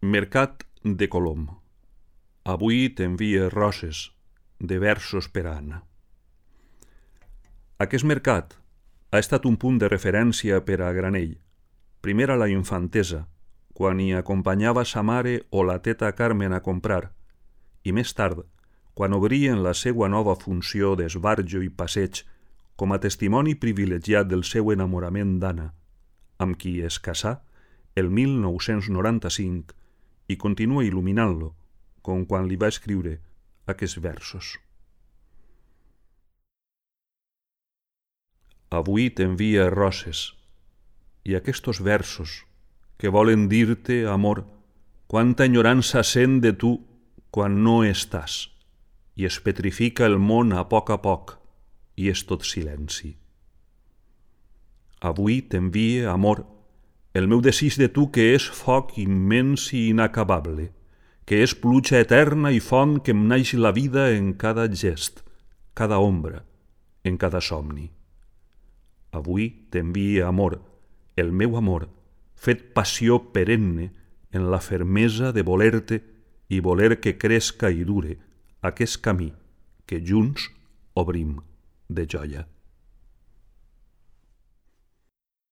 Mercat de Colom. Avui t'envie roses de versos per a Anna. Aquest mercat ha estat un punt de referència per a Granell, primer a la infantesa, quan hi acompanyava sa mare o la teta Carmen a comprar, i més tard, quan obrien la seua nova funció d'esbarjo i passeig com a testimoni privilegiat del seu enamorament d'Anna, amb qui es casà el 1995 i continua il·luminant-lo, com quan li va escriure aquests versos. Avui t'envia roses i aquests versos que volen dir-te, amor, quanta enyorança sent de tu quan no estàs i es petrifica el món a poc i és tot silenci. Avui t'envia, amor, el meu desig de tu que és foc immens i inacabable, que és pluja eterna i font que em naix la vida en cada gest, cada ombra, en cada somni. Avui t'envia, amor, el meu amor, fet passió perenne en la fermesa de voler-te i voler que cresca i dure aquest camí que junts obrim de joia.